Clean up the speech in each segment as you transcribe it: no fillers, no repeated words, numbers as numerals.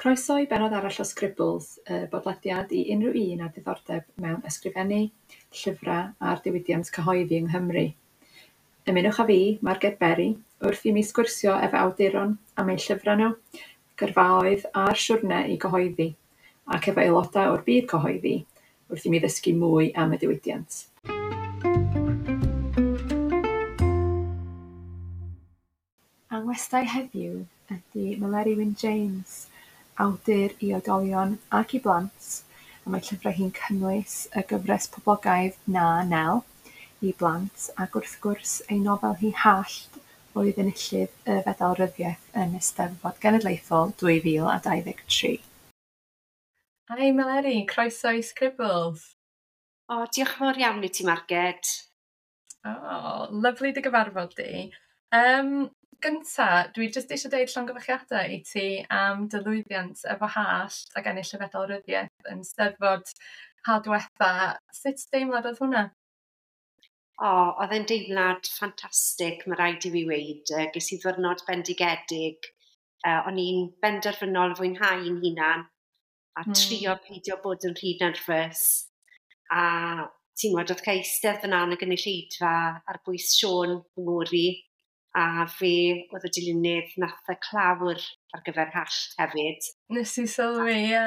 Croeso i bennod arall o Scribbles, y bodlediad i unrhyw un â diddordeb mewn ysgrifennu, llyfrau a'r diwydiant cyhoeddi yng Nghymru. Ymunwch â fi, Marged Berry, wrth i mi sgwrsio efo awduron am eu llyfrau nhw, gyrfaoedd a'r siwrne i gyhoeddi, ac efo aelodau o'r byd cyhoeddi, wrth i mi ddysgu mwy am y diwydiant. A'n ngwestai heddiw ydy Meleri Wyn James, awdur i oedolion ac i blant, a mae llyfrau hi'n cynnwys y gyfres poblogaidd Na Nel i blant, ac wrth gwrs ei nofel hi Hallt oedd enillydd y Fedal Ryddiaeth yn Eisteddfod Genedlaethol 2023. Hi Meleri, croeso i Scribbles. O, diolch yn fawr iawn i ti, Marged. O, lyfli dy gyfarfod di. Gynta, dwi jyst eisiau deud llongyfarchiadau i ti am dy lwyddiant efo Hallt ac ennill y Fedal Ryddiaeth yn Steddfod ha diwetha. Sut deimlad oedd hwnna? O, oedd e'n deimlad ffantastig, mae rhaid i fi weud. Ges i ddwrnod bendigedig. O'n i'n benderfynol fwynhau'n hunan a trio peidio bod yn rhy nerfus. A ti'n gwybod, oedd cael eistedd fyna yn y gynulleidfa ar bwys Siôn fy ngŵr i, a fe oedd y dilynydd nath y clawr ar gyfer Hallt hefyd. Nes i sylwi, ie.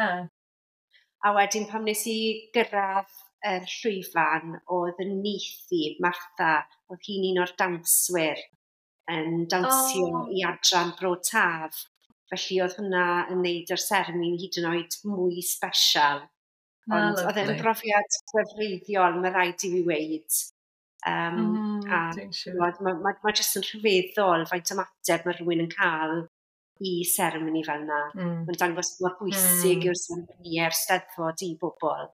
A wedyn pan nes i gyrraedd yr llwyfan, oedd y nith i, Martha, oedd hi'n un o'r dawnswyr yn dawnsio i adran Bro Taf. Felly oedd hwnna yn neud yr seremoni hyd yn oed mwy special. Ond oedd e'n brofiad gwefreiddiol, mae rhaid i fi weud. A mae jyst yn rhyfeddol faint ymateb mae rhywun yn cael i seremoni fel yna. Mae'n dangos mor bwysig yw'r seremoni a'r Steddfod i bobl.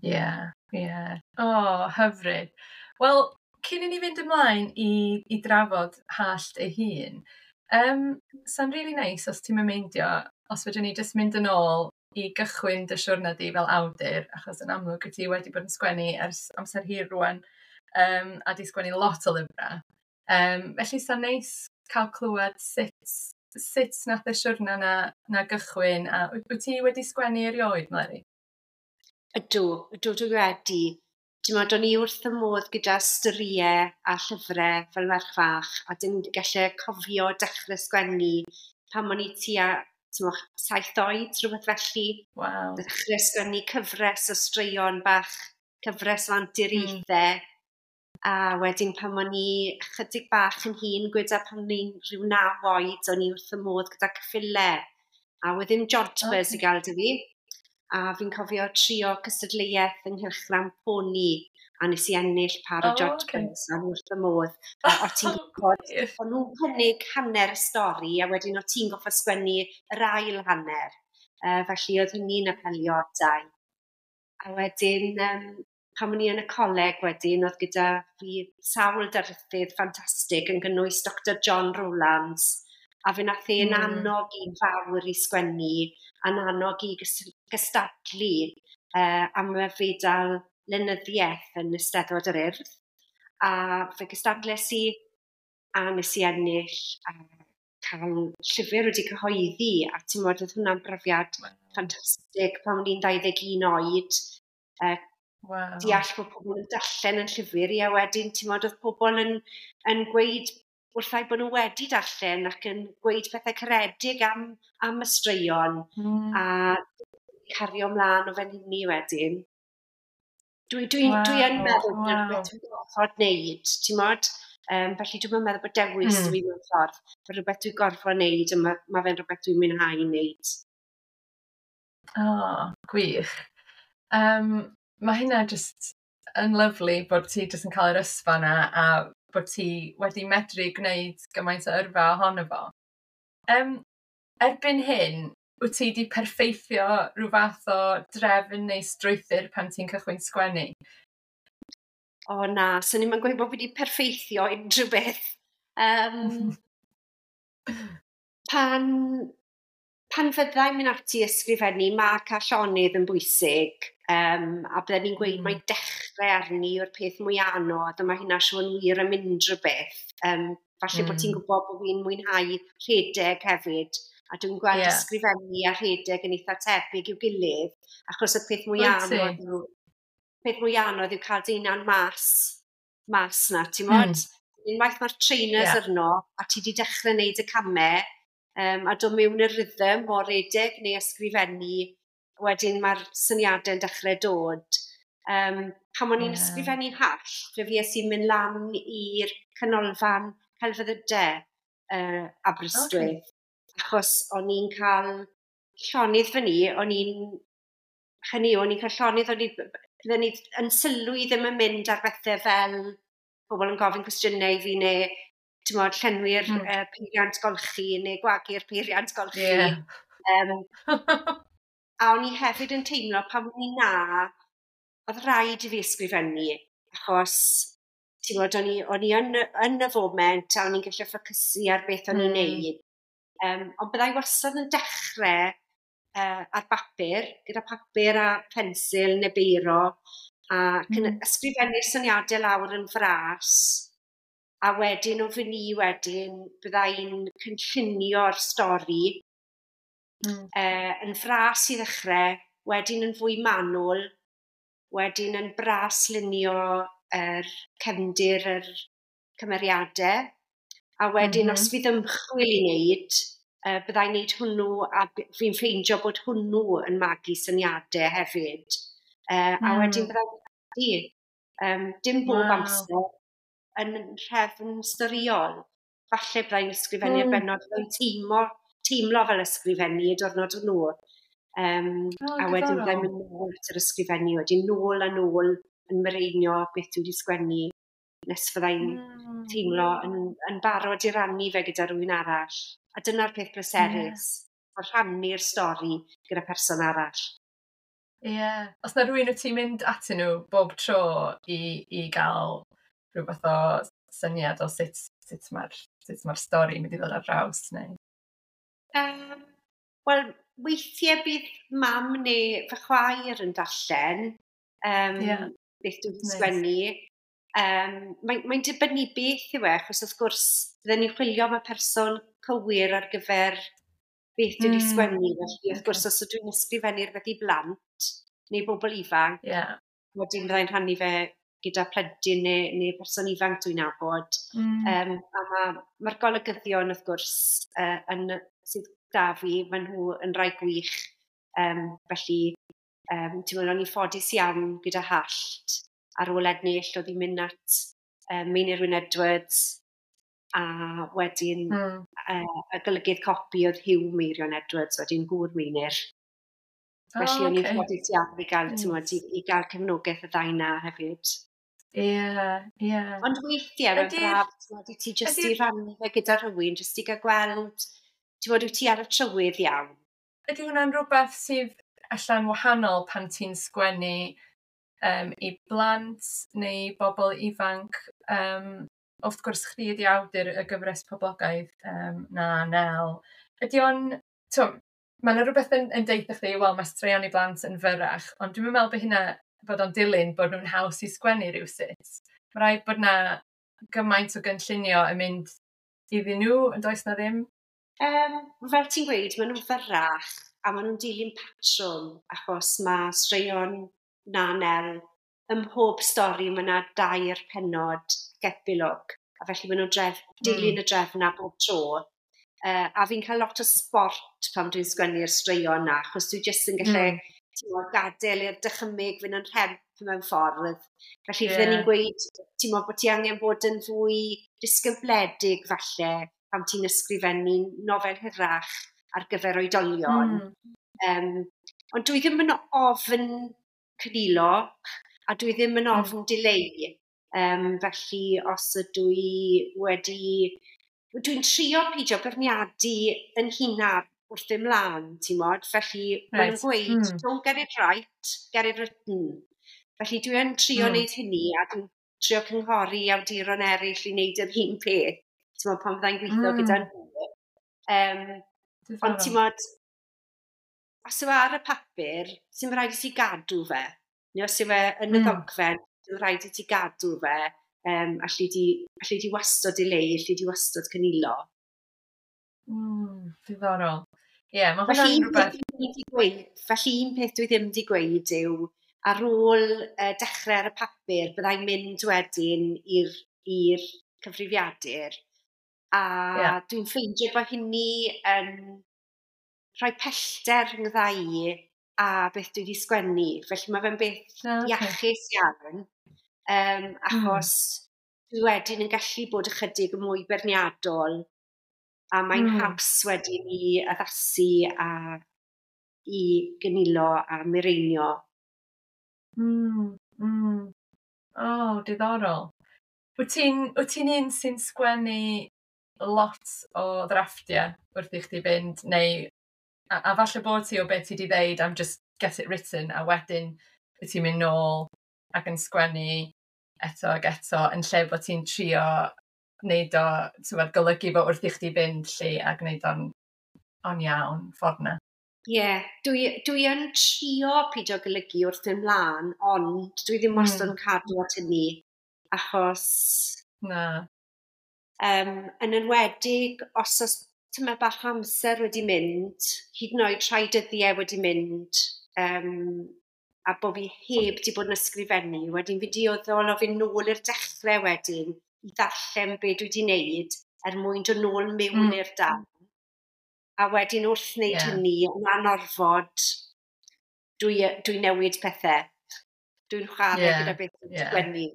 Ie, ie. O, hyfryd. Wel, cyn i ni fynd ymlaen i drafod Hallt ei hun, sa'n really neis os ti'n meindio, os fedrwn ni jyst mynd yn ôl i gychwyn dy siwrna di fel awdur, achos yn amlwg wyt ti wedi bod yn sgwennu ers amser hir rŵan, a di sgwennu lot o lyfrau. Felly sa'n neis cael clywed sut nath y siwrna na gychwyn, a wyt ti wedi sgwennu erioed, Meleri? Ydw, ydw dwi wedi. Ti'n meddwl, o'n i wrth y modd gyda storïau a llyfrau fel merch fach, a dim gallu cofio dechrau sgwennu pan o'n i tua 7 oed, rhywbeth felly. Wow. Dechrau sgwennu cyfres o straeon bach, cyfres o anturiaethau. A wedyn pan o'n i chydig bach yn hŷn, gweda pan o'n i'n rhyw 9 oed, o'n i wrth y modd gyda ceffylau. A oedd ddim jodhpurs i gael dy fi. A fi'n cofio trio cystadleuaeth yng nghylchgrawn Pony, a nes i ennill par o jodhpurs, a wrth y modd. A o ti'n gwybod, o'n nhw'n cynnig hanner y stori, a wedyn o ti'n goffa sgwennu yr ail hanner. Felly oedd hynny'n apelio ata i. A wedyn, pan o'n i yn y coleg wedyn, oedd gyda fi sawl darlithydd ffantastig yn gynnwys Dr John Rowlands, a fe nath e'n annog i'n fawr i sgwennu, a'n annog i gystadlu am y fedal lenyddiaeth yn Eisteddfod yr Urdd. A fe gystadles i, a nes i ennill, a cael llyfr wedi cyhoeddi, a ti'n meddwl, oedd hwnna'n brofiad ffantastig pan o'n i'n 21 oed. Deall bod pobl yn darllen yn llyfr i, a wedyn ti'n meddwl, oedd pobl yn gweud wrthai bod nhw wedi darllen ac yn gweud pethau caredig am y straeon, a cario ymlaen o fan hynny wedyn. Dwi yn meddwl bod rhywbeth dwi'n gorfod wneud, ti'n modd? Felly dwi'n meddwl bod dewis dwi mewn ffordd, bod rhywbeth dwi'n gorfod wneud, a mae fe'n rhywbeth dwi'n mwynhau wneud. O, gwych. Mae hynna jyst yn lyfli bod ti jyst yn cael yr ysfa yna a bod ti wedi medru gwneud gymaint o yrfa ohono fo. Erbyn hyn, wyt ti wedi perffeithio rhyw fath o drefn neu strwythur pan ti'n cychwyn sgwennu? O na, swn i'm yn gweud bod fi wedi perffeithio unrhyw beth. Pan fyddai'n mynd ati ysgrifennu, mae cael llonydd yn bwysig, a bydden ni'n gweud mai dechrau arni yw'r peth mwy anodd, a mae hynna siŵr yn wir am unrhyw beth. Falle bod ti'n gwybod bod fi'n mwynhau rhedeg hefyd. A dwi'n gweld ysgrifennu a rhedeg yn eitha tebyg i'w gilydd, achos y peth mwy anodd yw, peth mwy anodd yw cael dy hunan mas na, ti'n mod? Unwaith mae'r trainers arno, a ti wedi dechrau wneud y camau, a dod mewn i'r rhythm o redeg neu ysgrifennu, wedyn mae'r syniadau'n dechrau dod. Pan o'n i'n ysgrifennu Hallt, fe fues i'n mynd lan i'r canolfan celfyddydau Aberystwyth. Achos o'n i'n cael llonydd fyny, o'n i'n hynny, o'n i'n cael llonydd, o'n i, bydden ni yn sylwi ddim yn mynd ar bethau fel pobl yn gofyn cwestiynau i fi neu ti'n mod, llenwi'r peiriant golchi neu gwagu'r peiriant golchi. A o'n i hefyd yn teimlo pan o'n i na, oedd rhaid i fi ysgrifennu, achos ti'n gwybod, o'n i yn y foment a o'n i'n gallu ffocysu ar beth o'n i'n neud. Ond byddai wastad yn dechrau ar bapur, gyda papur a pensil neu beiro, a ysgrifennu'r syniadau lawr yn fras, a wedyn o fy ni wedyn, byddai'n cynllunio'r stori yn fras i ddechrau, wedyn yn fwy manwl, wedyn yn bras lunio yr cefndir yr cymeriadau, a wedyn os fydd ymchwil i wneud, byddai'n wneud hwnnw, a fi'n ffeindio bod hwnnw yn magu syniadau hefyd. A wedyn byddai'n dim bob amser yn rhefn storiol. Falle byddai'n ysgrifennu'r bennod, byddai'n teimlo fel ysgrifennu y diwrnod hwnnw. Oh, a wedyn byddai'n mynd nôl at yr ysgrifennu, wedyn nôl a nôl yn mireinio beth dwi wedi sgwennu, nes fyddai'n teimlo yn barod i rannu fe gyda rhywun arall. A dyna'r peth pleserus, rhannu'r stori gyda person arall. Ie. Yeah. Os na rhywun wyt ti'n mynd atyn nhw bob tro i gael rhywbeth o syniad o sut mae'r stori yn mynd i ddod ar draws, neu? Wel, weithiau bydd mam neu fy chwaer yn darllen beth dwi'n sgwennu. Mae'n dibynnu beth yw e, achos wrth gwrs, bydden ni'n chwilio am y person cywir ar gyfer beth dwi wedi sgwennu. Felly, wrth gwrs, os ydw i'n ysgrifennu rhywbeth i blant neu bobl ifanc, wedyn byddai'n rhannu fe gyda plentyn neu person ifanc dwi'n nabod. A mae'r golygyddion, wrth gwrs, sydd da fi, maen nhw yn rhai gwych. Felly, ti'n meddwl, o'n i'n ffodus iawn gyda Hallt. Ar ôl ennill, oedd hi'n mynd at Meinir Wyn Edwards, a wedyn y golygydd copi oedd Huw Meirion Edwards, wedyn gŵr Meinir. Felly o'n i'n ffodus iawn i gael, ti'n i gael cefnogaeth y ddau na hefyd. Ie. Ond weithiau, mae'n braf, ti'n i ti jyst i rannu fe gyda rhywun, jyst i gael gweld, ti'n bod, wyt ti ar y trywydd iawn. Ydy hwnna'n rhywbeth sydd allan wahanol pan ti'n sgwennu i blant neu bobl ifanc? Wrth gwrs, chdi ydi awdur y gyfres poblogaidd Na, Nel. Ydy o'n... Mae yna rhywbeth yn deud chdi, wel, mae straeon i blant yn fyrrach, ond dwi'n meddwl bod hynna bod o'n dilyn bod nhw'n haws i sgwennu rhywsut. Mae rhaid bod na gymaint o gynllunio yn mynd iddyn nhw, yn does na ddim? Fel ti'n gweud, maen nhw'n fyrrach a maen nhw'n dilyn patrwm, achos mae straeon Na, Nel, ym mhob stori mae yna dair pennod epilog, a felly maen nhw'n dilyn y drefn na bob tro. A fi'n cael lot o sport pan dwi'n sgwennu'r straeon na, achos dwi jyst yn gallu gadael i'r dychymyg fynd yn rhemp mewn ffordd. Felly fydden ni'n gweud, ti'n meddwl bod ti angen bod yn fwy disgybledig falle pan ti'n ysgrifennu nofel hirach ar gyfer oedolion. Ond dwi ddim yn ofn cynilo a dwi ddim yn ofn dileu. Felly os ydw i wedi... Dwi'n trio peidio beirniadu yn hunan wrth ddim mlaen, ti'n mod? Felly maen nhw'n gweud, "Don't get it right, get it written." Felly dwi yn trio wneud hynny a dwi'n trio cynghori awduron eraill i wneud yr un peth. Ti'n mod, pan fyddai'n gweithio gyda nhw. Ond ti'n mod, os yw e ar y papur, sy'n rhaid i ti gadw fe. Neu os yw e yn y ddogfen, sy'n rhaid i ti gadw fe. Allu di wastad dileu, allu di wastad cynilo. Diddorol. Ie, yeah, mae hwnna'n rhywbeth. Felly un peth dwi ddim wedi gweud yw, ar ôl dechrau ar y papur, byddai'n mynd wedyn i'r cyfrifiadur. A dwi'n ffeindio bod hynny yn rhoi pellter rhyngdda i a beth dwi wedi sgwennu. Felly mae fe'n beth iachus iawn, achos dwi wedyn yn gallu bod ychydig yn mwy beirniadol, a mae'n haws wedyn i addasu a i gynilo a mireinio. O, diddorol. Wyt ti'n un sy'n sgwennu lot o ddrafftiau wrth i chdi fynd, neu a falle bod ti o beth ti wedi ddeud am just get it written, a wedyn wyt ti'n mynd nôl ac yn sgwennu eto ac eto, yn lle bod ti'n trio wneud o, ti'n golygu fo wrth i chdi fynd lle a gwneud o'n iawn ffordd na. Ie, yeah, dwi yn trio pidio golygu wrth ymlaen, ond dwi ddim wastad yn cadw at hynny, achos. Na. Yn enwedig, os oes tyma bach amser wedi mynd, hyd yn oed rhai dyddiau wedi mynd, a bod fi heb di bod yn ysgrifennu, wedyn fi dioddol o fynd nôl i'r dechrau wedyn i ddarllen be dwi wedi wneud er mwyn dod nôl mewn i'r darn. A wedyn wrth wneud hynny, yn anorfod, dwi newid pethau. Dwi'n chwarae gyda beth dwi'n sgwennu.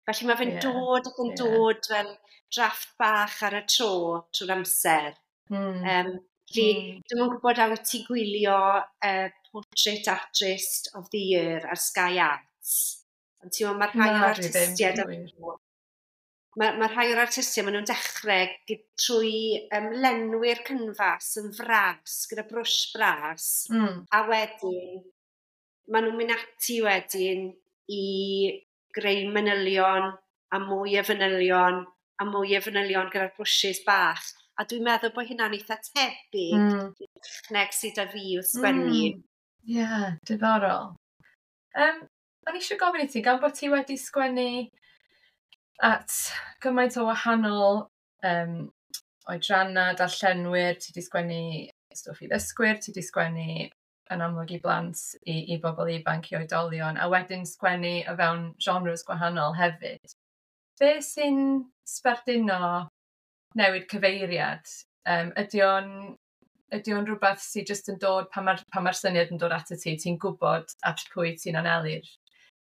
Felly mae fe'n dod ac yn dod fel drafft bach ar y tro trwy'r amser. Felly, dwi'm yn gwybod a wyt ti'n gwylio Portrait Artist of the Year ar Sky Arts. Ond ti'n meddwl, mae rhai o'r artistiaid. Mae rhai o'r artistiaid, maen nhw'n dechrau trwy lenwi'r cynfas yn fras, gyda brwsh bras, a wedyn, maen nhw'n mynd ati wedyn i greu manylion, a mwy o fanylion, a mwy o fanylion gyda'r brwsys bach. A dwi'n meddwl bod hynna'n eitha tebyg i'r techneg sydd â fi wrth sgwennu. Ie, yeah, diddorol. O'n i eisiau gofyn i ti, gan bod ti wedi sgwennu at gymaint o wahanol oedrannau, darllenwyr, ti wedi sgwennu stwff i ddysgwyr, ti wedi sgwennu yn amlwg i blant, i bobl ifanc, i oedolion, a wedyn sgwennu o fewn genres gwahanol hefyd. Be sy'n sbarduno newid cyfeiriad? Ydy o'n rhywbeth sydd jyst yn dod pan ma syniad yn dod at y ti, ti'n gwybod at pwy ti'n anelu'r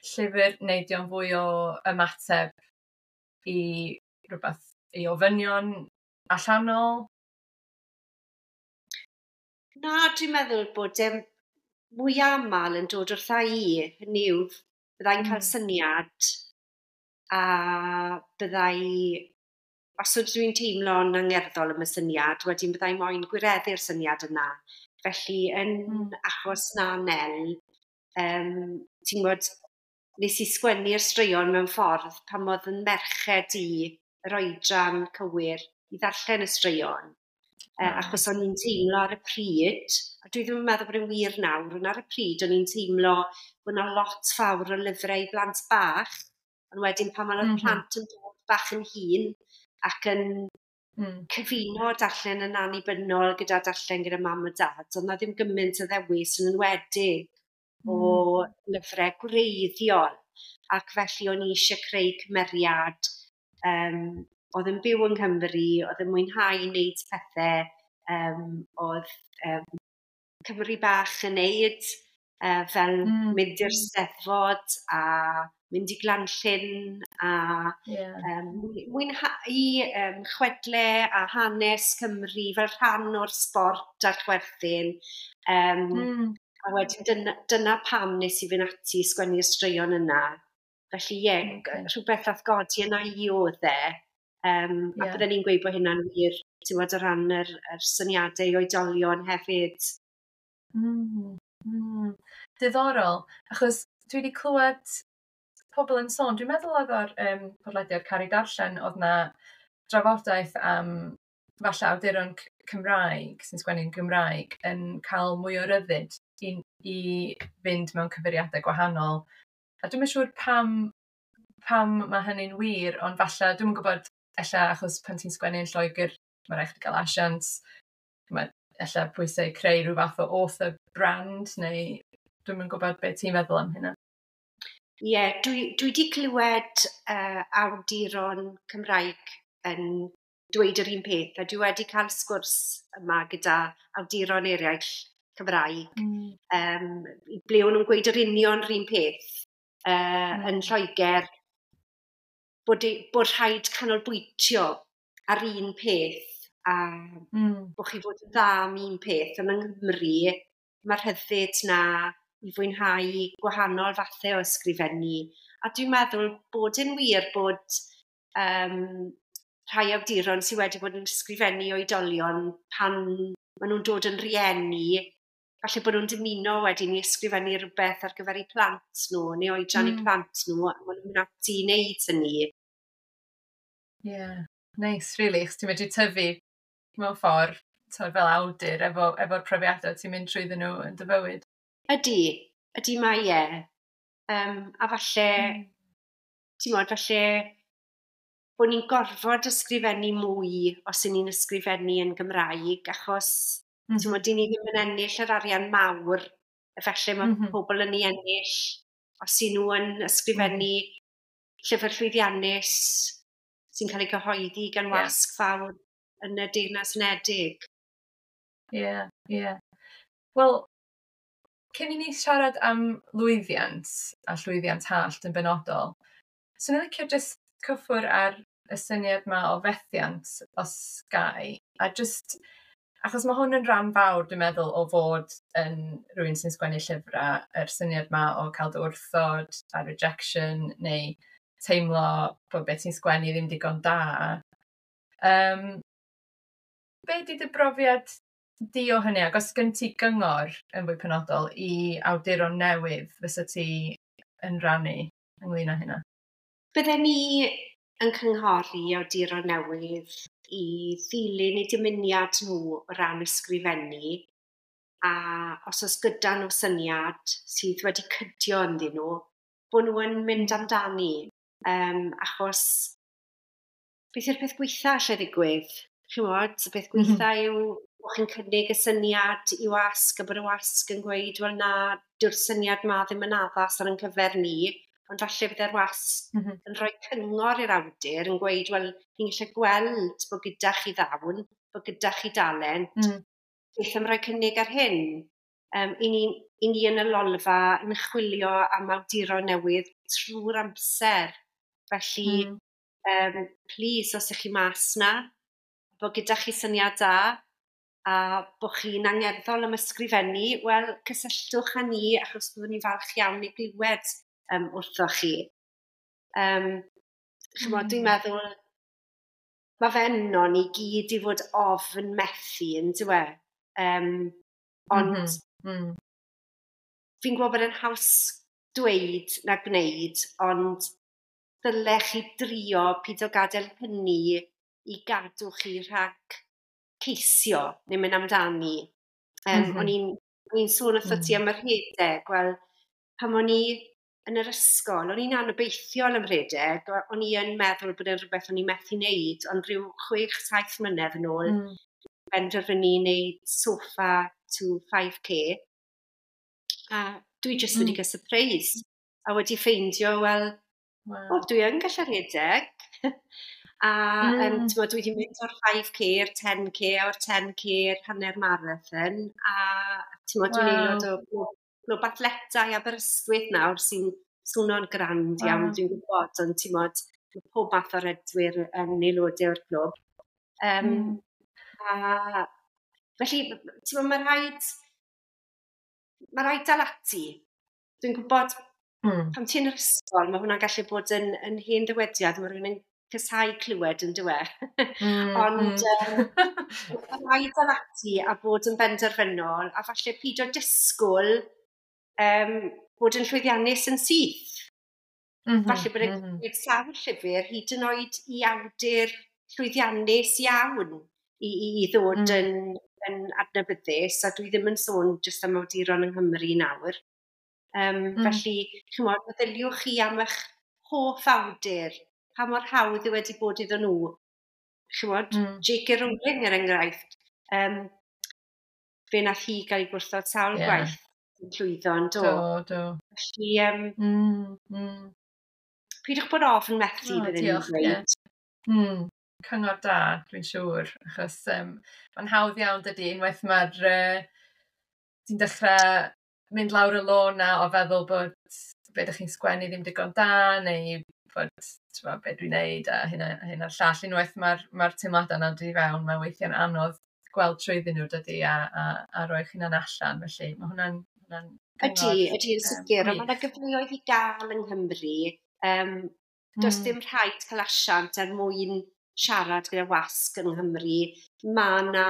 llyfr, neu ydy o'n fwy o ymateb i rhywbeth, i ofynion allanol? Na, dwi'n meddwl bod e mwy aml yn dod wrtha i. Hynny yw, byddai'n cael syniad a byddai, os ydw i'n teimlo'n angerddol am y syniad, wedyn byddai moyn gwireddu'r syniad yna. Felly, yn achos Na Nel, ti'n gwybod, nes i sgwennu'r straeon mewn ffordd pan oedd yn merched i yr oedran cywir i ddarllen y straeon. Achos o'n i'n teimlo ar y pryd, a dwi ddim yn meddwl bod yn wir nawr, ond ar y pryd o'n i'n teimlo bod yna lot fawr o lyfrau i blant bach, ond wedyn pan mae'r plant yn dod bach yn hŷn ac yn cyfuno darllen yn annibynnol gyda darllen gyda mam a dad, ond na ddim gymaint o ddewis yn enwedig o lyfrau gwreiddiol. Ac felly o'n i eisiau creu cymeriad oedd yn byw yng Nghymru, oedd yn mwynhau wneud pethau, oedd Cymru bach yn neud, fel mynd i'r Steddfod a mynd i Glanllyn a mwynhau chwedle a hanes Cymru fel rhan o'r sbort a'r chwerthin. A wedyn dyna pam nes i fynd ati i sgwennu'r straeon yna. Felly ie, yeah, rhywbeth nath godi yna i oedd e. A bydden ni'n gweud bod hynna'n wir, ti'n gwybod, o ran yr syniadau i oedolion hefyd. Diddorol, achos dwi wedi clywed pobl yn sôn, dwi'n meddwl oedd o'r podlediad Caru Darllen, oedd na drafodaeth am falle awduron Cymraeg sy'n sgwennu'n Gymraeg yn cael mwy o ryddid i fynd mewn cyfeiriadau gwahanol. A dwi'm yn siŵr pam mae hynny'n wir, ond falle, dwi'm yn gwybod, ella achos pan ti'n sgwennu yn Lloegr, Mae rhaid chdi gael asiant, mae ella pwysau creu rhyw fath o author brand, neu dwi'm yn gwybod beth ti'n feddwl am hynna. Ie, yeah, dwi wedi clywed awduron Cymraeg yn dweud yr un peth, a dwi wedi cael sgwrs yma gyda awduron eraill Cymraeg, ble o'n nhw'n gweud yr union yr un peth yn Lloegr, bod rhaid canolbwyntio ar un peth a bod chi fod yn dda am un peth. Ond yng Nghymru, mae'r rhyddid na i fwynhau gwahanol fathau o ysgrifennu. A dwi'n meddwl bod yn wir bod rhai awduron sydd wedi bod yn ysgrifennu oedolion pan maen nhw'n dod yn rieni, falle bod nhw'n dymuno wedyn i ysgrifennu rhywbeth ar gyfer eu plant nhw, neu oedran eu plant nhw, a maen nhw'n mynd ati i wneud hynny. Yeah, nice, really, chos ti'n medru tyfu mewn ffordd, fel awdur, efo'r profiadau ti'n mynd trwyddyn nhw yn dy fywyd. Ydy mae e. A falle, ti'n modd, falle bod ni'n gorfod ysgrifennu mwy os y'n ni'n ysgrifennu yn Gymraeg, achos ti'n modd, dyn ni ddim yn ennill yr arian mawr, a felly mae pobl yn ei ennill os y'n nhw yn ysgrifennu llyfr llwyddiannus sy'n cael ei gyhoeddi gan wasg fawr yn y Deyrnas Unedig. Ie, ie. Wel, cyn i ni siarad am lwyddiant a llwyddiant Hallt yn benodol, swn i'n licio jyst cyffwrdd ar y syniad yma o fethiant os gai, a jyst, achos mae hwn yn rhan fawr, dwi'n meddwl, o fod yn rhywun sy'n sgwennu llyfrau, yr syniad yma o cael dy wrthod a rejection, neu teimlo bod beth ti'n sgwennu ddim digon da. Be di dy brofiad di o hynny, ac os gen ti gyngor yn fwy penodol i awduron newydd fysa ti yn rannu ynglyn â hynna? Bydden ni yn cynghori awduron newydd i ddilyn eu dymuniad nhw o ran ysgrifennu, a os oes gyda nhw syniad sydd wedi cydio ynddyn nhw, bod nhw yn mynd amdani, achos beth yw'r peth gweitha allai ddigwydd? Chimod, y peth gweitha yw bod chi'n cynnig y syniad i wasg a bod y wasg yn gweud, wel na, dyw'r syniad ma ddim yn addas ar ein cyfer ni, ond falle bydde'r wasg yn rhoi cyngor i'r awdur yn gweud, wel, ni'n gallu gweld bod gyda chi ddawn, bod gyda chi dalent, beth am roi cynnig ar hyn? I ni yn y Lolfa yn chwilio am awduron newydd trwy'r amser. Felly, please, os ych chi mas na, bod gyda chi syniad da, a bod chi'n angerddol am ysgrifennu, wel, cysylltwch â ni, achos byddwn ni'n falch iawn i glywed wrthoch chi. Chimod, dwi'n meddwl, mae fe yno ni gyd i fod ofn methu, yn dyw e? Ond fi'n gwybod bod e'n haws dweud na gwneud, ond dylech chi drio pido gadael hynny i gadw chi rhag ceisio neu mynd amdani. O'n i'n sôn wrtho ti am y rhedeg. Wel, pan o'n i yn yr ysgol, o'n i'n anobeithiol am rhedeg, o'n i yn meddwl bod e'n rhywbeth o'n i'n methu wneud, ond rhyw 6-7 mlynedd yn ôl, benderfynu wneud sofa to 5K. A dwi jyst wedi cael surprise. A wedi ffeindio, wel, o, dwi yn gallu rhedeg. A dwi wedi mynd o'r 5K i'r 10K, o'r 10K i'r hanner marathon. A dwi'n aelod o glwb athletau Aberystwyth nawr sy'n swnio'n grand iawn, dwi'n gwybod, ond ti'n modd, mae pob math o redwyr yn aelodau o'r clwb. A felly, ti'n modd, mae rhaid dal ati. Dwi'n gwybod, pan ti'n yr ysgol, mae hwnna'n gallu bod yn hen ddywediad, mae rhywun yn casáu clywed yn dyw e. Ond mae rhaid dal ati a bod yn benderfynol, a falle pido disgwyl bod yn llwyddiannus yn syth. Falle bod e'n gwneud sawl llyfr hyd yn oed i awdur llwyddiannus iawn i ddod yn adnabyddus, a dwi ddim yn sôn jyst am awduron yng Nghymru nawr. Felly, chimod, meddyliwch chi am eich hoff awdur, pa mor hawdd yw wedi bod iddyn nhw Chimod, J.K. Rowling er enghraifft, fe nath hi gael ei gwrthod sawl gwaith yn llwyddo yn do. Do, do. Felly, peidiwch bod ofn methu, bydden ni'n dweud. Yeah. Cyngor da, dwi'n siŵr, achos mae'n hawdd iawn dydy, unwaith mae'r ti'n dechrau mynd lawr y lôn na o feddwl bod be ydych chi'n sgwennu ddim digon da, neu bod, t'mo, be dwi'n neud a hyn a hyn a'r llall. Unwaith mae'r teimladau yna'n dod i fewn, mae weithiau'n anodd gweld trwyddyn nhw dydy a rhoi eich hunan allan. Felly mae hwnna'n gyngor. Ydy, ydy, yn sicr. Ond mae yna gyfleoedd i gael yng Nghymru. Does dim rhaid cael asiant er mwyn siarad gyda wasg yng Nghymru. Mae yna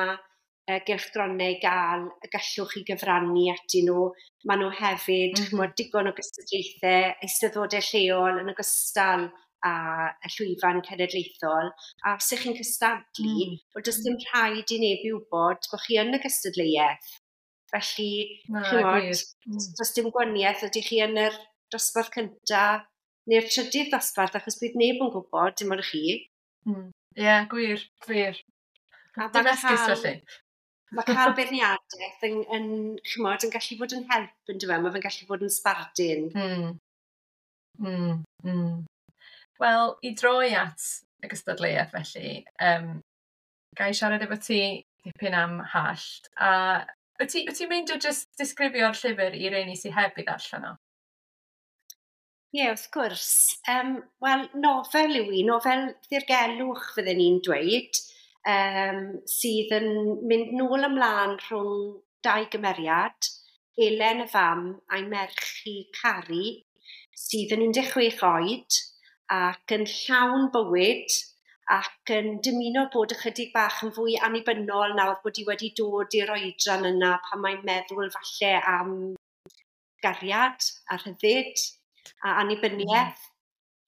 gylchgronau i gael y gallwch chi gyfrannu atyn nhw. Maen nhw hefyd, chimod, digon o gystadlaethau, eisteddfodau lleol yn ogystal â y llwyfan cenedlaethol. A os ych chi'n cystadlu, wel, does dim rhaid i neb i wybod bod chi yn y gystadleuaeth. Felly, Na, chimod, gwir. Does dim gwahaniaeth ydych chi yn yr dosbarth cynta neu'r trydydd dosbarth, achos bydd neb yn gwybod, dim ond chi. Ie, yeah, gwir, gwir. A Dim esgus felly. Mae cael beirniadaeth yn, chimod, yn gallu bod yn help, yn dyfe? Mae fe'n gallu bod yn sbardun. Wel, i droi at y gystadleuaeth felly, ga i siarad efo ti dipyn am Hallt, a wyt ti'n meindio jyst disgrifio'r llyfr i reini sydd heb i ddarllen o? Ie, yeah, wrth gwrs. Wel, nofel yw hi, nofel ddirgelwch fydden ni'n dweud, sydd yn mynd nôl ymlaen rhwng dau gymeriad, Elen y fam a'i merch hi Cari, sydd yn 16 oed ac yn llawn bywyd ac yn dymuno bod ychydig bach yn fwy annibynnol nawr bod hi wedi dod i'r oedran yna pan mae'n meddwl falle am gariad a rhyddid a annibyniaeth.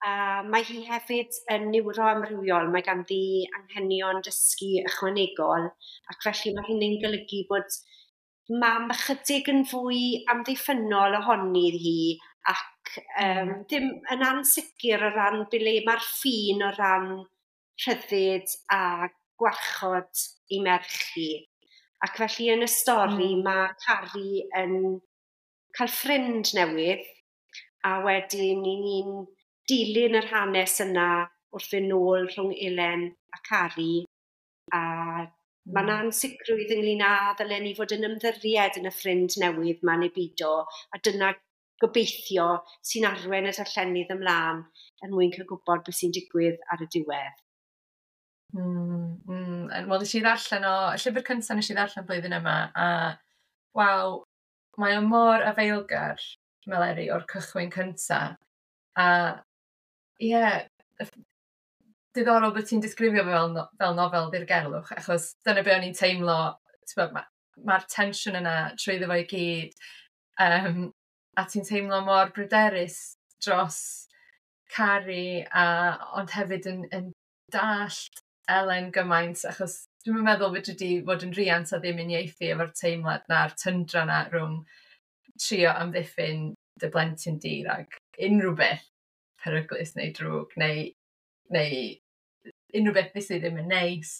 A mae hi hefyd yn niwroamrywiol, mae ganddi anghenion dysgu ychwanegol, ac felly mae hynny'n golygu bod mam ychydig yn fwy amddiffynnol ohoni hi ac ddim yn ansicr o ran ble mae'r ffin o ran rhyddid a gwarchod ei merch hi. Ac felly yn y stori mae Cari yn cael ffrind newydd, a wedyn i ni'n dilyn yr hanes yna wrth fynd nôl rhwng Elen a Cari, a mae yna ansicrwydd ynglyn â ddylen ni fod yn ymddiried yn y ffrind newydd 'ma neu bido, a dyna gobeithio sy'n arwain y darllenydd ymlaen er mwyn cael gwybod beth sy'n digwydd ar y diwedd. Wel, nes i ddarllen o, y llyfr cyntaf nes i ddarllen blwyddyn yma, a waw, mae o mor afaelgar, Meleri, o'r cychwyn cynta. A ie, yeah, diddorol bod ti'n disgrifio fe fel, no, fel nofel ddirgelwch, achos dyna be o'n i'n teimlo, mae'r ma tensiwn yna trwyddo fo i gyd, a ti'n teimlo mor bryderus dros Cari, ond hefyd yn dallt Elen gymaint, achos dwi'n meddwl fedri di fod yn riant a ddim uniaethu efo'r teimlad na'r tyndra na rhwng trio amddiffyn dy blentyn di rhag unrhyw beth peryglus neu drwg neu unrhyw beth sydd ddim yn neis,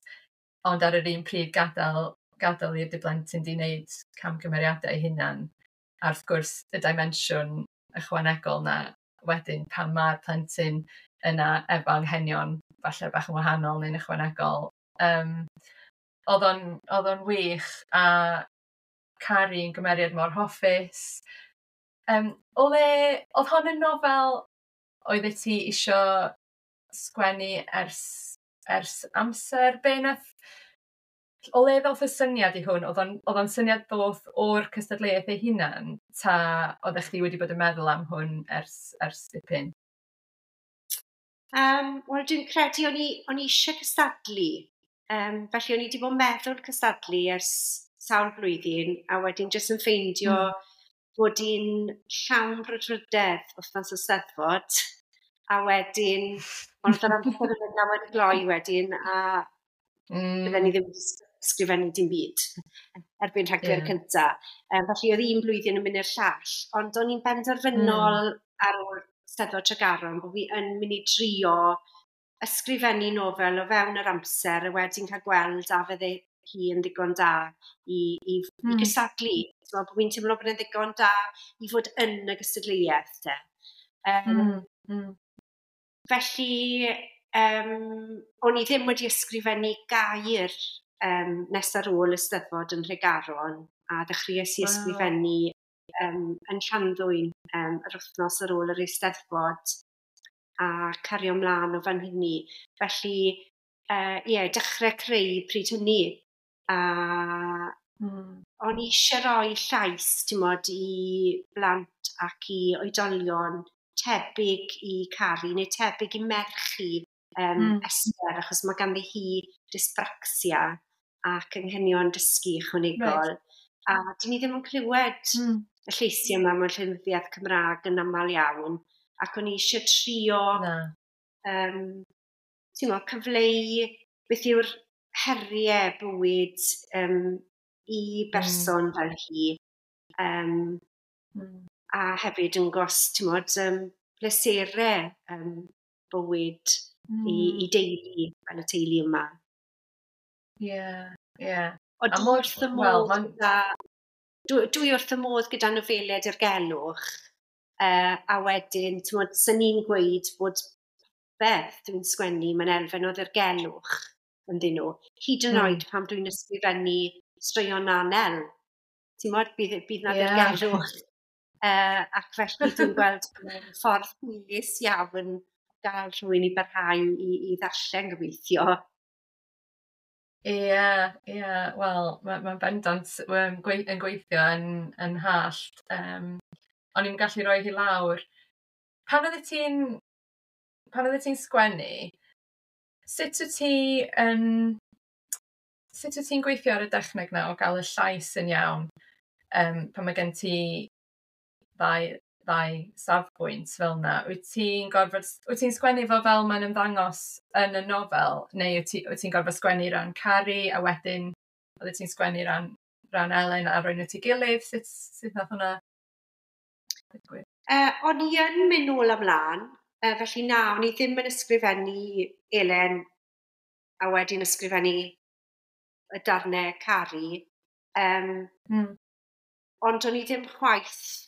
ond ar yr un pryd gadael i'r dy blentyn di wneud camgymeriadau ei hunan. A wrth gwrs y dimensiwn ychwanegol na wedyn pan mae'r plentyn yna efo anghenion falle bach yn wahanol neu'n ychwanegol. Oedd o'n wych a Cari yn gymeriad mor hoffus. O le, oedd hon yn nofel oeddet ti isio sgwennu ers amser? Be nath, o le ddoth y syniad i hwn? Oedd o'n syniad ddoth o'r cystadleuaeth ei hunan, ta oeddech chdi wedi bod yn meddwl am hwn ers dipyn? Wel, dwi'n credu o'n i eisiau cystadlu. Felly o'n i wedi bod yn meddwl cystadlu ers sawl blwyddyn, a wedyn jyst yn ffeindio bod hi'n llawn brwdfrydedd wythnos y Steddfod, a wedyn, ond oedd yr amser yn mynd wedi gloi wedyn, a bydden ni ddim wedi sgrifennu dim byd erbyn Rhagfyr cynta. Felly oedd un blwyddyn yn mynd i'r llall, ond o'n i'n benderfynol ar ôl Steddfod Tregaron bod fi yn mynd i drio ysgrifennu nofel o fewn yr amser a wedyn cael gweld a fydde hi yn ddigon da i gystadlu. Ti'n meddwl bod fi'n teimlo bod yn ddigon da i fod yn y gystadleuaeth te. Felly, o'n i ddim wedi ysgrifennu gair nes ar ôl y Steddfod yn Nhregaron, a ddechreuais i ysgrifennu yn Llanddwyn yr wythnos ar ôl yr Eisteddfod a cario ymlaen o fan hynny. Felly, ie, dechrau creu pryd hynny. A o'n i eisiau rhoi llais, ti'n mod, i blant ac i oedolion tebyg i Cari neu tebyg i merch hi, Esther, achos mae ganddi hi dyspraxia ac anghenion dysgu ychwanegol. A dyn ni ddim yn clywed y lleisiau yma mewn llenyddiaeth Cymraeg yn aml iawn. Ac o'n i eisiau trio ti'n mo, cyfleu beth yw'r heriau bywyd i berson fel hi. A hefyd yn gos, ti'n mod, pleserau bywyd i deulu, fel y teulu yma. Ie. Ond dwi wrth y modd gyda, dwi wrth y modd gyda nofelau dirgelwch, a wedyn, ti'n mod, sy'n ni'n gweud bod beth dwi'n sgwennu, mae'n elfen o ddirgelwch ynddyn nhw. Hyd yn oed pan dwi'n ysgrifennu straeon anel, ti'n mod, bydd na ddirgelwch. Ac felly dwi'n gweld ffordd hwylus iawn gael rhywun i barhau i ddarllen gobeithio. Ie, wel, mae'n ma bendant yn gweithio yn hallt. O'n i'n gallu rhoi hi lawr. Pan oeddet ti'n sgwennu, sut wyt ti'n gweithio ar y dechneg na o gael y llais yn iawn pan mae gen ti ddau safbwynt fel yna? Wyt ti'n sgwennu fo fel mae'n ymddangos yn y nofel, neu wyt ti'n gorfod sgwennu ran Cari a wedyn oeddet ti'n sgwennu ran Elen a rhoi nhw at ei gilydd? Sut nath hwnna digwydd? O'n i yn mynd nôl ymlaen, felly na, o'n i ddim yn ysgrifennu Elen a wedyn ysgrifennu y darnau Cari. Ond o'n i ddim chwaith.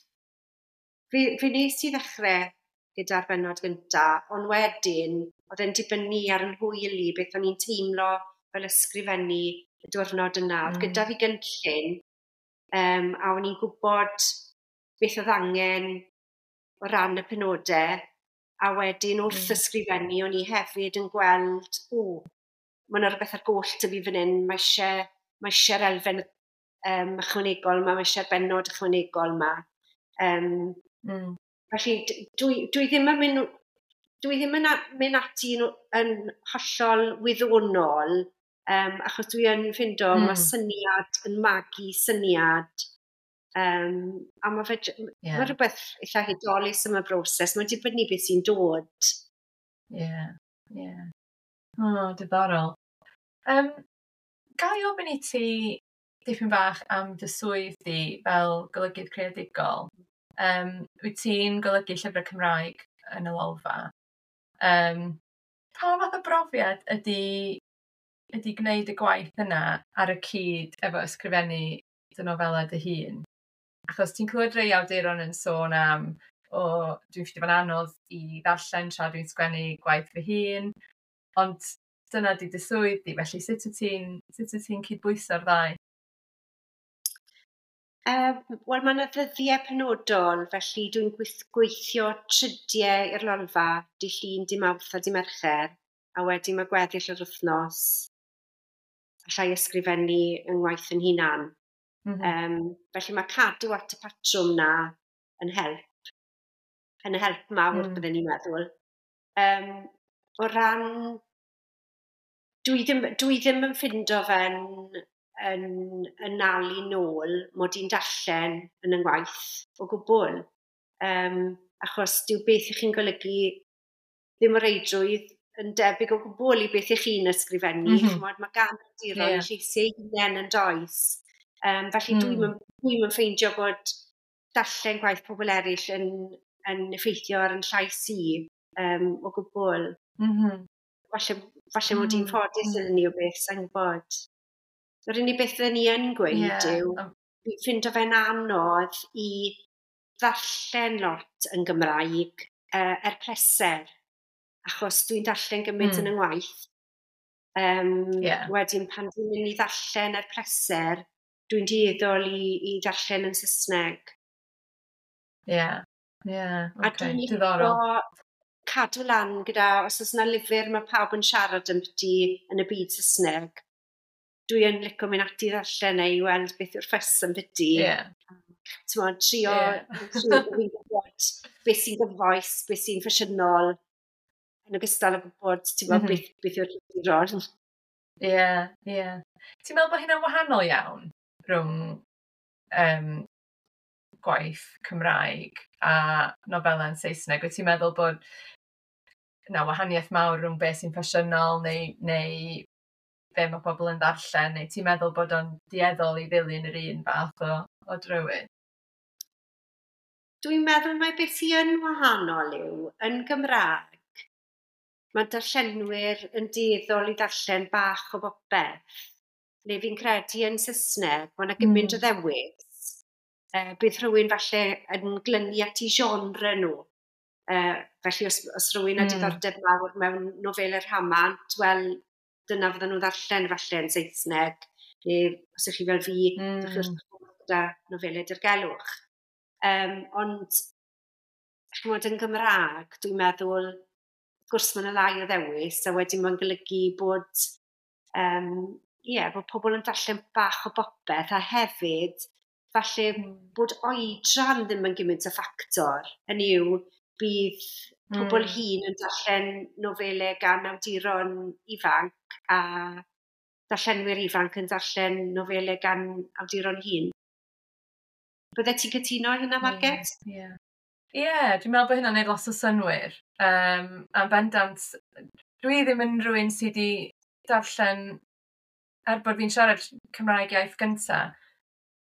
Fe nes i ddechrau gyda'r bennod gynta, ond wedyn oedd e'n dibynnu ar yn hwyl i, beth o'n i'n teimlo fel ysgrifennu y diwrnod yna. Oedd gyda fi gynllun, a o'n i'n gwybod beth oedd angen o ran y penodau, a wedyn wrth ysgrifennu o'n i hefyd yn gweld, o, mae yna rhywbeth ar goll 'da fi fan hyn, mae eisiau'r elfen ychwanegol yma, mae eisiau'r bennod ychwanegol yma. Felly dwi ddim yn mynd ati yn hollol wyddonol, achos dwi yn ffindo mae syniad yn magu syniad, a mae fe, mae rhywbeth eitha hudolus am y broses, mae'n dibynnu beth sy'n dod. Ie. O, diddorol. Ga i ofyn i ti dipyn bach am dy swydd di fel golygydd creadigol? Wyt ti'n golygu llyfrau Cymraeg yn y Lolfa? Pa fath o brofiad ydy gwneud y gwaith yna ar y cyd efo ysgrifennu dy nofelau dy hun? Achos ti'n clywed rhai awduron yn sôn am, "O, dwi'n ffeindio fo'n anodd i ddarllen tra dwi'n sgwennu gwaith fy hun", ond dyna di dy swydd di, felly sut wyt ti'n cydbwyso'r ddau? Wel, mae yna ddyddiau penodol, felly dwi'n gweithio 3 diau i'r Lolfa, dy Llun, dy Mawrth a dy Mercher, a wedyn mae gweddill yr wythnos allai ysgrifennu yng ngwaith yn hunan. Felly mae cadw at y patrwm na yn help. Yn help mawr, byddwn ni'n meddwl. O ran... Dwi ddim yn ffindo fe'n yn nalu nôl mod i'n darllen yn y ngwaith o gwbl. Achos dyw beth ych chi'n golygu ddim o reidrwydd yn debyg o gwbl i beth ych chi'n ysgrifennu. Ch'mod, mae gan awduron lleisiau eu hunain yn does. Felly dwi'n yn ffeindio bod darllen gwaith pobl eraill yn effeithio ar yn llais i o gwbl. Falle mod i'n ffodus yn hynny o beth, sa'n gwybod. Yr unig beth fydden ni yn gweud yw, fi'n ffindo fe'n anodd i ddarllen lot yn Gymraeg er pleser, achos dwi'n darllen gymaint yn 'y ngwaith. Wedyn pan dwi'n mynd i ddarllen er pleser, dwi'n dueddol i ddarllen yn Saesneg. Ie, ie, A okay, dwi'n diddorol. licio cadw lan gyda, os oes yna lyfr mae pawb yn siarad ambyti yn y byd Saesneg, dwi yn licio mynd ati ddarllen e i weld beth yw'r ffys ambyti. T'mod, trio, trio bod fi'n gwybod beth sy'n gyfoes, beth sy'n ffasiynol, yn ogystal â gwybod, ti'n gwbod, beth yw'r llyfr. Ie, ie. Ti'n meddwl bod hynna'n wahanol iawn rhwng gwaith Cymraeg a nofelau yn Saesneg? Wyt ti'n meddwl bod 'na wahaniaeth mawr rhwng beth sy'n ffasiynol neu be mae pobl yn ddarllen, neu ti'n meddwl bod o'n dueddol i ddilyn yr un fath o drywydd? Dwi'n meddwl mai beth sy'n yn wahanol yw, yn Gymraeg, mae darllenwyr yn dueddol i ddarllen bach o bopeth. Neu fi'n credu yn Saesneg, mae yna gymaint o ddewis. Bydd rhywun falle yn glynu at eu genre nhw. Felly os rhywun â diddordeb mawr mewn nofelau rhamant, wel, dyna fydden nhw'n ddarllen falle yn Saesneg. Neu os ydych chi fel fi, ydych chi wrth eich bodd gyda nofelau dirgelwch. Ond, chimod, yn Gymraeg, dwi'n meddwl, wrth gwrs mae yna lai o ddewis, a wedyn mae'n golygu bod pobl yn darllen bach o bopeth, a hefyd, falle bod oedran ddim yn gymaint o ffactor. Hynny yw, bydd pobl hŷn yn darllen nofelau gan awduron ifanc, a darllenwyr ifanc yn darllen nofelau gan awduron hŷn. Byddet ti'n cytuno hynna, Marged? Ie. Ie, dwi'n meddwl bod hynna'n neud lot o synnwyr. A'n bendant, dwi ddim yn rhywun sydd wedi darllen, er bod fi'n siarad Cymraeg iaith gynta,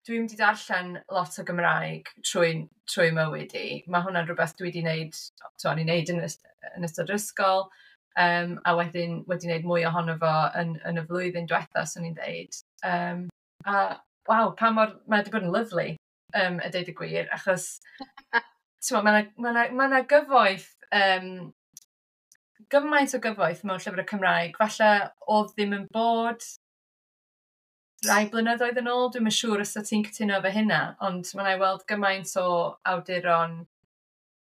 dwi'm 'di darllen lot o Gymraeg trwy mywyd i. Mae hwnna'n rhywbeth dwi 'di wneud, o'n i'n wneud yn ystod yr ysgol, a wedyn wedi wneud mwy ohono fo yn y flwyddyn diwetha, swn i'n dweud. A waw, pa mor, mae wedi bod yn lyfli, a deud y gwir, achos t'mo, ma' 'na gyfoeth, gymaint o gyfoeth mewn llyfrau Cymraeg. Falle oedd ddim yn bod rai blynyddoedd yn ôl, dwi'm yn siŵr os wyt ti'n cytuno efo hynna, ond ma' 'na i weld gymaint o awduron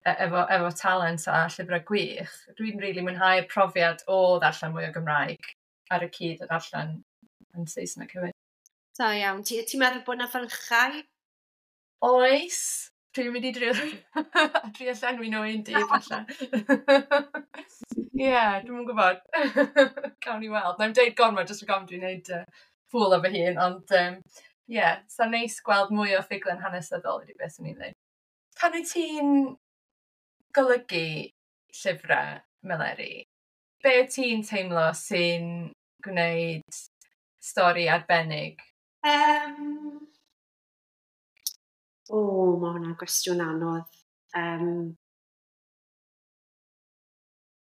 efo talent a llyfrau gwych. Dwi'n rili mwynhau'r profiad o ddarllen mwy o Gymraeg ar y cyd o ddarllen yn Saesneg hefyd. Da iawn. Ti'n meddwl bod 'na fylchau? Oes. Dwi'n mynd i drio llenwi nhw un dydd falle. Ie, dwi'm yn gwybod. Gawn ni weld. Na'i'm deud gormod jyst rhag ofn dwi'n wneud ffŵl o fy hun, ond ie, sa'n neis gweld mwy o ffuglen hanesyddol ydy beth swn i'n dweud. Pan wyt ti'n golygu llyfrau, Meleri, be wyt ti'n teimlo sy'n gwneud stori arbennig? O, mae hwnna'n gwestiwn anodd.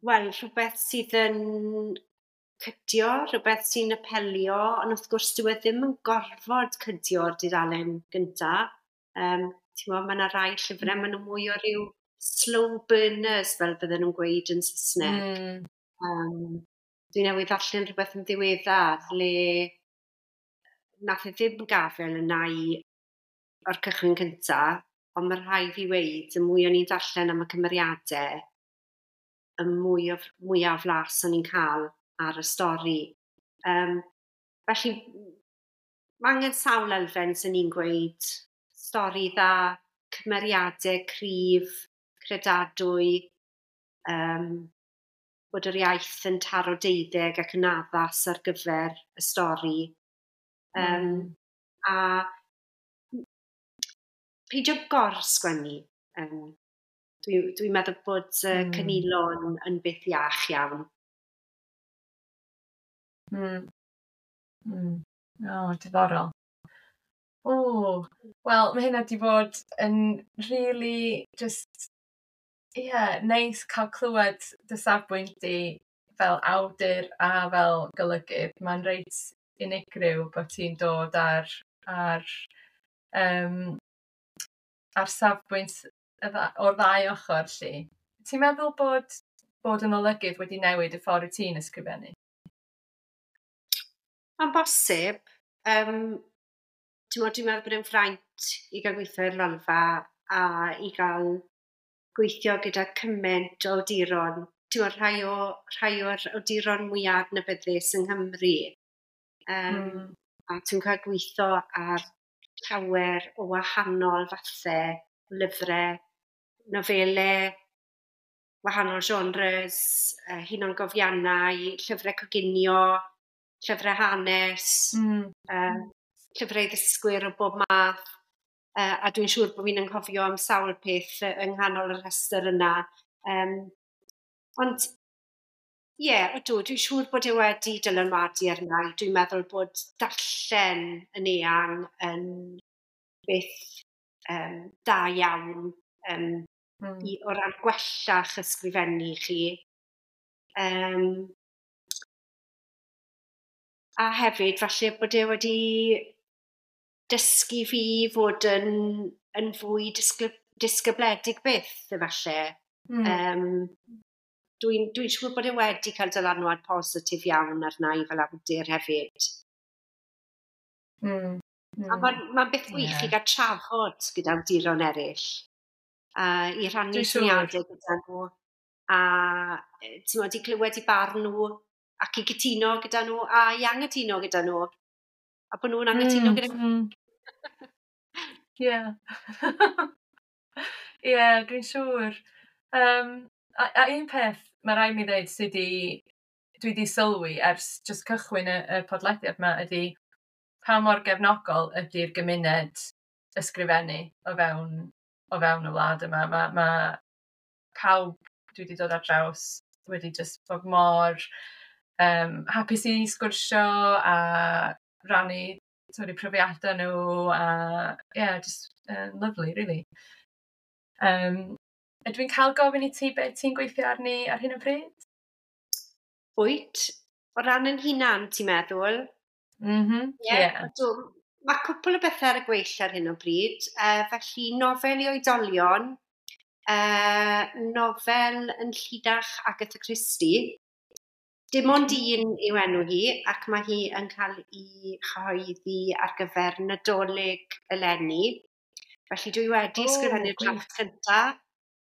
Wel, rhywbeth sydd yn cydio, rhywbeth sy'n apelio, ond wrth gwrs dyw e ddim yn gorfod cydio'r dudalen gynta. Ti'n mae yna rai llyfrau, maen nhw mwy o ryw slow burners, fel bydden nhw'n gweud yn Saesneg. Dwi newydd ddarllen rhywbeth yn ddiweddar le nath e ddim gafel yna i o'r cychwyn cynta, ond mae rhaid fi weud, y mwy o'n i'n darllen am y cymeriadau, y mwyaf flas o'n i'n cael ar y stori. Felly, mae angen sawl elfen sy'n ni'n gweud. Stori dda, cymeriadau cryf, credadwy, bod yr iaith yn taro deuddeg ac yn addas ar gyfer y stori. A peidio gor-sgwennu. Dwi meddwl bod cynilo yn beth iach iawn. O, diddorol. O, wel, mae hynna 'di bod yn really just, ie, yeah, neis cael clywed dy safbwynt di fel awdur a fel golygydd, mae'n reit unigryw bod ti'n dod ar safbwynt o'r ddau ochr, 'lly. Ti'n meddwl bod yn olygydd wedi newid y ffordd wyt ti'n ysgrifennu? Mae'n bosib. Dwi'n meddwl bod e'n fraint i gael gweithio i'r Lolfa a i gael gweithio gyda cymaint o awduron. Ti'n rhai o'r awduron mwyaf adnabyddus yng Nghymru. A ti'n cael gweithio ar llawer o wahanol fathau, lyfrau, nofelau, wahanol genres, hunangofiannau, llyfrau coginio, llyfrau hanes, llyfrau ddysgwyr o bob math. A dwi'n siŵr bod fi'n anghofio am sawl peth yng nghanol y rhestr yna. Ond ie, yeah, ydw, dwi'n siŵr bod e wedi dylanwadu arna i. Dwi'n meddwl bod darllen yn eang yn beth da iawn o ran gwella'ch ysgrifennu chi. A hefyd, falle bod e wedi dysgu fi fod yn fwy disgybledig byth, efallai. Dwi'n siŵr bod e wedi cael dylanwad positif iawn arna i fel awdur hefyd. A mae'n beth gwych i gael trafod gyda awduron eraill. I rhannu syniadau gyda nhw. A ti'n i glywed i barn nhw ac i gytuno gyda nhw a i anghytuno gyda nhw. A bod nhw'n anghytuno gyda nhw. Ie. Ie, dwi'n siŵr. A un peth mae rhaid mi ddeud sydd wedi, dwi wedi sylwi ers just cychwyn y podlediad yma ydy pa mor gefnogol ydy'r gymuned ysgrifennu o fewn y wlad yma. Mae pawb dwi wedi dod ar draws wedi just bod mor hapus i sgwrsio a rannu, sorry, profiadau nhw a yeah, just lovely, really. Ydw i'n cael gofyn i ti beth ti'n gweithio arni ar hyn o bryd? Wyt. O ran yn hunan, ti'n meddwl? Mhm. Yeah. Yeah. Mae cwpl o bethau ar y gweill ar hyn o bryd. Felly, nofel i oedolion, nofel yn llinach Agatha Christie. Dim ond un yw enw hi, ac mae hi yn cael ei chyhoeddi ar gyfer Nadolig eleni. Felly dwi wedi ysgrifennu'r drafft cyntaf,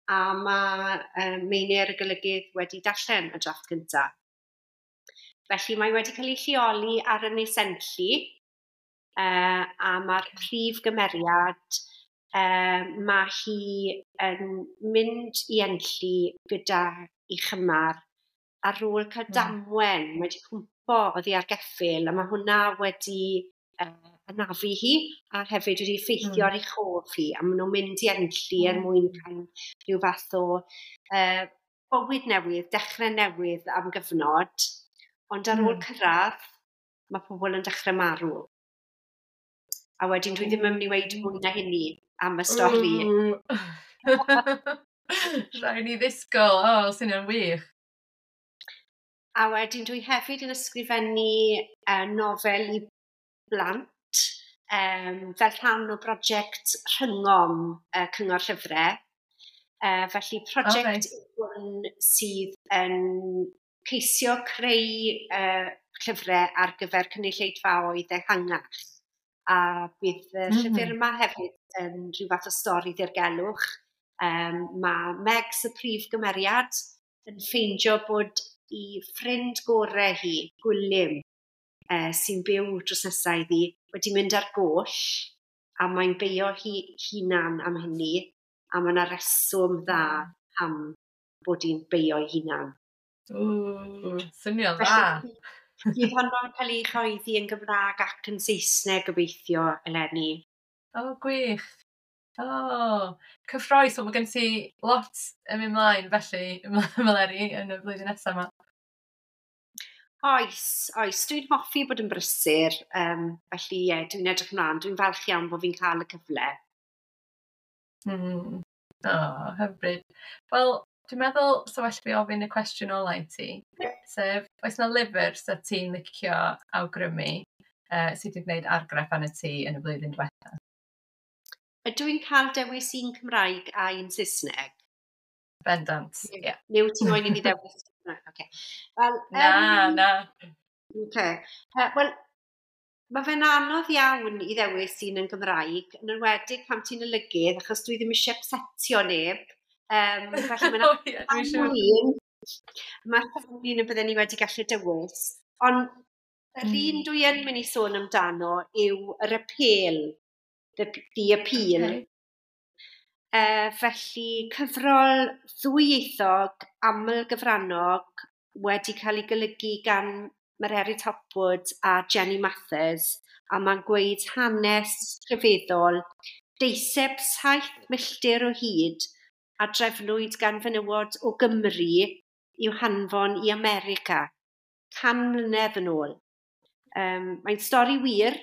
a mae Meinir y golygydd wedi darllen y drafft cyntaf. Felly mae wedi cael ei lleoli ar Ynys Enlli, a mae'r prif gymeriad, mae hi yn mynd i Enlli gyda ei chymar ar ôl cael damwen, mae wedi cwmpo oddi ar geffyl, a mae hwnna wedi anafu hi a hefyd wedi effeithio ar ei chof hi, a maen nhw'n mynd i Enlli er mwyn cael rhyw fath o bywyd newydd, dechrau newydd am gyfnod, ond ar ôl cyrraedd, mae pobl yn dechrau marw. A wedyn dwi ddim yn mynd i weud mwy na hynny am y stori. Rhaid ni ddisgwyl, o, oh, sy'n wych. A wedyn dwi hefyd yn ysgrifennu nofel i blant fel rhan o brosiect Rhyngom Cyngor Llyfrau. Felly prosiect hwn sydd yn ceisio creu llyfrau ar gyfer cynulleidfaoedd ehangach. A bydd y llyfr yma hefyd yn rhyw fath o stori ddirgelwch. Mae Megs, y prif gymeriad, yn ffeindio bod i ffrind gorau hi, Gwilym, sy'n byw drws nesaf iddi, wedi mynd ar goll, a mae'n beio hi hunan am hynny, a mae yna reswm dda am bod hi'n beio ei hunan. Ww, swnio'n dda. Bydd honno'n cael ei chyhoeddi yn Gymraeg ac yn Saesneg gobeithio eleni. O, oh, gwych. O, oh, cyffrous. Wel, mae gen ti lot yn mynd mlaen felly, Meleri, yn y flwyddyn nesaf yma. Oes, oes. Dwi'n hoffi bod yn brysur. Felly, ie, yeah, dwi'n edrych ymlaen. Dwi'n falch iawn bod fi'n cael y cyfle. O, oh, hyfryd. Wel, Dwi'n meddwl, so well fi ofyn y cwestiwn ola i ti, sef, oes 'na lyfr 'sa ti'n licio awgrymu sydd wedi gwneud argraff arna ti yn y flwyddyn diwetha? Ydw i'n cael dewis un Cymraeg a un Saesneg? Bendant, ie. Yeah. Neu wyt ti'n moyn i fi ddewis? Okay. Wel, na, na. Okay. Wel, mae fe'n anodd iawn i ddewis un yn Gymraeg, yn enwedig pan ti'n olygydd, achos dwi ddim eisiau upsetio neb. Felly mae'n un. Mae un y bydden ni wedi gallu dewis. Ond yr un dwi yn mynd i sôn amdano yw yr apêl, the Appeal. Okay. Felly cyfrol ddwyieithog aml-gyfrannog wedi cael ei golygu gan Mererid Hopwood a Jenny Mathers, a mae'n gweud hanes rhyfeddol deiseb 7 milltir o hyd a drefnwyd gan fenywod o Gymru i'w hanfon i America 100 mlynedd yn ôl. Mae'n stori wir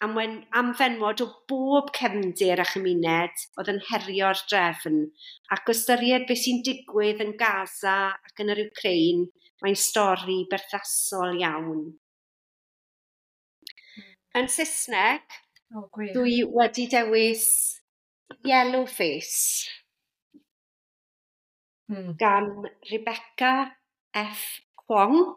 am fenywod o bob cefndir a chymuned oedd yn herio'r drefn, ac o ystyried beth sy'n digwydd yn Gaza ac yn yr Ukraine, mae'n stori berthnasol iawn. Yn Saesneg, dwi wedi dewis Yellowface gan Rebecca F. Kuang.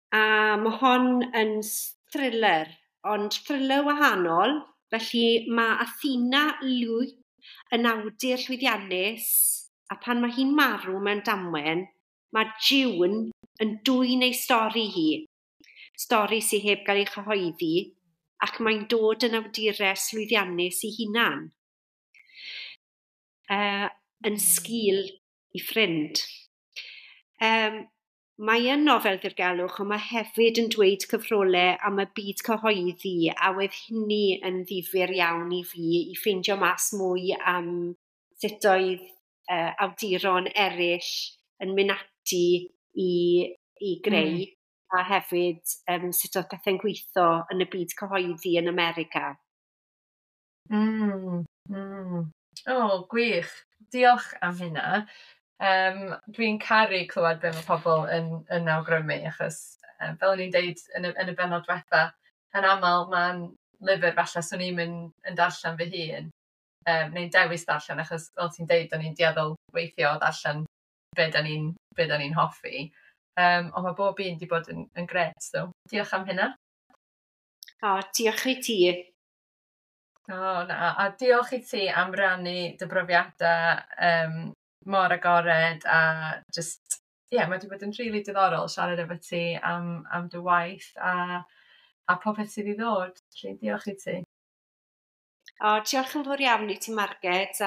A mae hon yn thriller, ond thriller wahanol. Felly mae Athena Liu yn awdur llwyddiannus, a pan mae hi'n marw mewn damwain, mae June yn dwyn ei stori hi. Stori sydd heb gael ei chyhoeddi, ac mae'n dod yn awdures llwyddiannus ei hunan. Yn sgil i ffrind. Mae yn nofel ddirgelwch, ond mae hefyd yn dweud cyfrolau am y byd cyhoeddi, a wedd hynny yn ddifyr iawn i fi i ffeindio mas mwy am sut oedd awduron eraill yn mynd ati i greu, a hefyd sut oedd pethau'n gweithio yn y byd cyhoeddi yn America. O, gwych. Diolch am hynna. Dwi'n caru clywed be mae pobl yn awgrymu, achos fel o'n i'n deud yn y bennod diwetha, yn aml mae'n lyfr falle swn i'm yn darllen fy hun, neu'n dewis darllen, achos fel ti'n deud, o'n i'n dueddol weithio o ddarllen be da ni'n hoffi. Ond mae bob un wedi bod yn grêt, so diolch am hynna. O, diolch i ti. O, na, a diolch i ti am rannu dy brofiadau mor agored, a just, ie, yeah, mae wedi bod yn rili diddorol siarad efo ti am dy waith a popeth sydd i ddod. Felly, diolch i ti. O, diolch yn fawr iawn i ti, Marged, a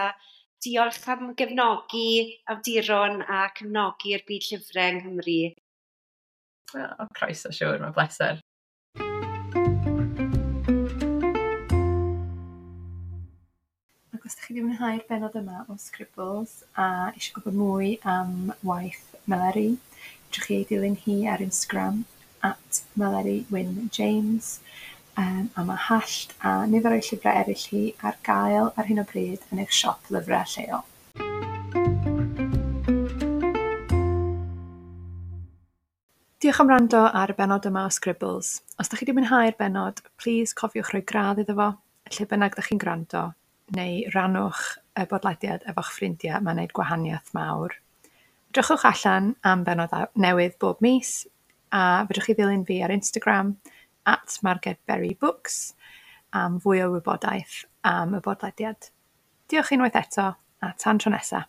diolch am gefnogi awduron a cefnogi'r byd llyfrau yng Nghymru. O, croeso, siŵr, mae'n bleser. Ac os ydych chi wedi mwynhau'r bennod yma o Scribbles a eisiau gwybod mwy am waith Meleri, fedrwch chi ei dilyn hi ar Instagram @MeleriWynJames, a mae Hallt a nifer o'i llyfrau eraill hi ar gael ar hyn o bryd yn eich siop lyfrau lleol. Diolch am wrando ar y bennod yma o Scribbles. Os ydych chi wedi mwynhau'r bennod, plis cofiwch rhoi gradd iddo fo, lle bynnag ydych chi'n gwrando, neu rannwch y bodlediad efo'ch ffrindiau, mae'n gwneud gwahaniaeth mawr. Edrychwch allan am bennod newydd bob mis, a fedrwch chi ddilyn fi ar Instagram @margedberrybooks am fwy o wybodaeth am y bodlediad. Diolch unwaith eto, a tan tro nesa.